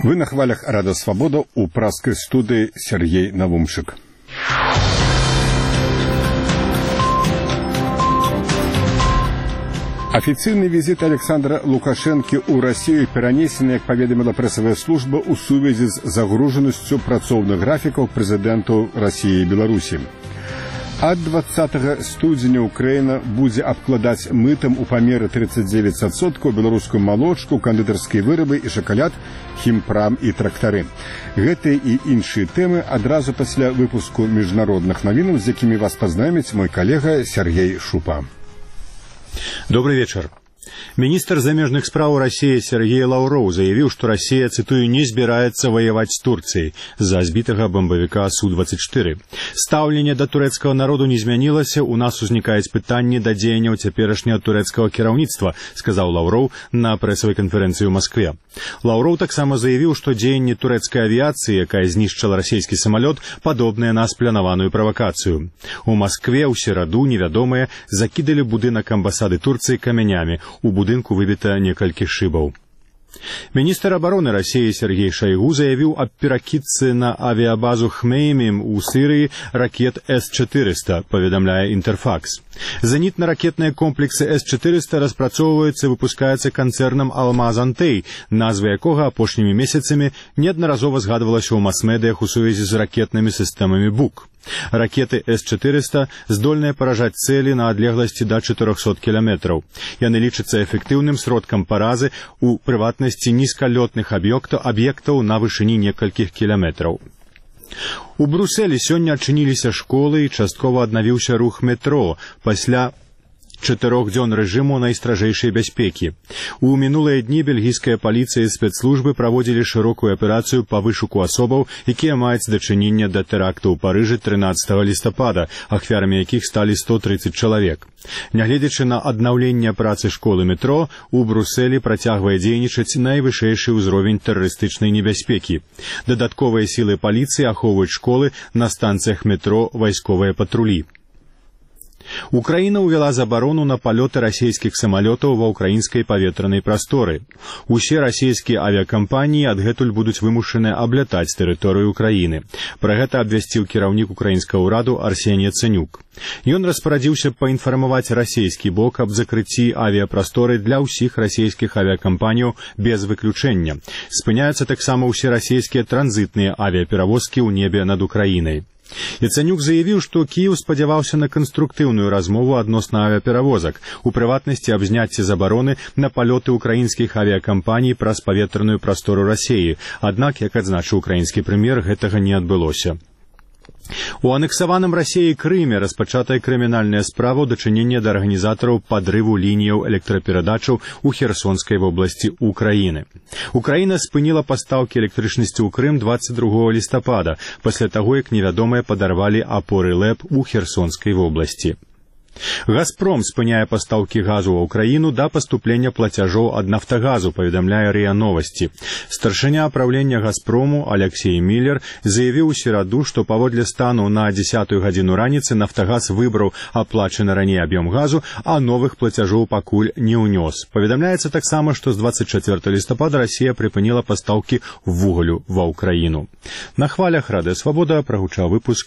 Вы на хвалях «Радио Свобода» у пражской студии Сергей Навумшик. Официальный визит Александра Лукашенко у России перенесен, как поведомила прессовая служба, у связи с загруженностью працовных графиков президенту России и Беларуси. От 20 студзеня Украина будет обкладать мытом у помера 39% белорусскую молочку, кондитерские вырабы и шоколад, химпрам и трактары. Гэты и іншие темы одразу после выпуску международных новин, с якими вас познакомит мой коллега Сергей Шупа. Добрый вечер. Министр замежных спраў России Сергей Лаўроў заявил, что Россия, цитую, не збираецца воевать с Турцией за збитого бомбовика Су-24. Стаўленне до турецкого народу не змянілася, у нас узникает пытанне до дзеянняў цяперашняга турецкого кіраўніцтва, сказал Лаўроў на прессовой конференции в Москве. Лаўроў таксама заявил, что дзеянне турецкой авиации, якая знішчыла российский самолет, подобное на спланаваную провокацию. У Москве ў сераду невядомыя закидали будынак амбасады Турции камянями. У будынку выбито некалькі шибаў. Министр обороны России Сергей Шойгу заявил о перакидцы на авиабазу Хмеймим у Сирии ракет С-400, поведомляя Интерфакс. Зенитно-ракетные комплексы С-400 распрацоўваюцца и выпускаются концерном «Алмаз-Антей», назва якога апошнімі месяцамі неаднаразова згадвалася ў мас-медыях у сувязі з ракетными системами БУК. Ракеты С-400 здольныя паражаць цели на адлегласці до 400 километров. Яны лічацца эфектыўным сродкам паразы у прыватнасці нізкалётных аб'ектаў на вышыні некалькіх кіламетраў. У Брюсселі сёння адчыніліся школы і часткова аднавіўся рух метро пасля 4 дзён рэжыму найстражэйшай бяспекі. У мінулыя дні бельгійская паліцыя і спецслужбы праводзілі шырокую аперацыю па вышуку асобаў, якія маюць дачыненне да тэракту ў Парыжы 13 лістапада, ахвярамі якіх сталі 130 чалавек. Нягледзячы на аднаўленне працы школы метро, у Брюсселі працягвае дзейнічаць найвышэйшы ўзровень тэрарыстычнай небяспекі. Дадатковыя сілы паліцыі ахоўваюць школы, на станцыях метро вайсковыя патрулі. Украина увела заборону на полеты российских самолетов во украинской паветранай прасторы. Усе российские авиакомпании адгэтуль будуць вымушаны аблятаць тэрыторыю Украины. Пра гэта абвясціў кіраўнік украінскага ўраду Арсеній Яцэнюк. Ён распарадзіўся паінфармаваць расійскі бок аб закрыцці авіапрасторы для ўсіх расійскіх авиакомпанияў без выключэння. Спыняюцца таксама ўсе расійскія транзітныя авиаперавозкі ў небе над Украінай. Яцэнюк заявіў, што Кіеў спадзяваўся на канструктыўную размову адносна авіаперавозак, у прыватнасці аб зняцці забароны на палёты украінскіх авіакампаній праз паветраную прастору Расіі, аднак, як адзначыў украінскі прэм'ер, гэтага не адбылося. У анексаваным Расіяй Крыме распачатая крымінальная справа ў дачыненні да арганізатараў падрыву лініяў электраперадачаў у Херсонскай вобласці Украіны. Украіна спыніла пастаўкі электрычнасці ў Крым 22 лістапада, пасля таго, як невядомыя падарвалі апоры ЛЭП у Херсонскай вобласці. «Газпром» спыняе пастаўкі газу ва ўкраіну да паступлення плацяжоў ад «Нафтагазу», паведамляе РИА Новости. Старшыня правлення «Газпрому» Алексей Миллер заявіў у сераду, што паводле стану на 10-ю гадзіну раніцы «Нафтагаз» выбраў аплачаны раней аб'ём газу, а новых плацяжоў пакуль не ўнёс. Паведамляецца таксама, што з 24 лістапада Расія прыпыніла пастаўкі вугалю ва ўкраіну. На хвалях «Радыё Свабода» прагучаў выпуск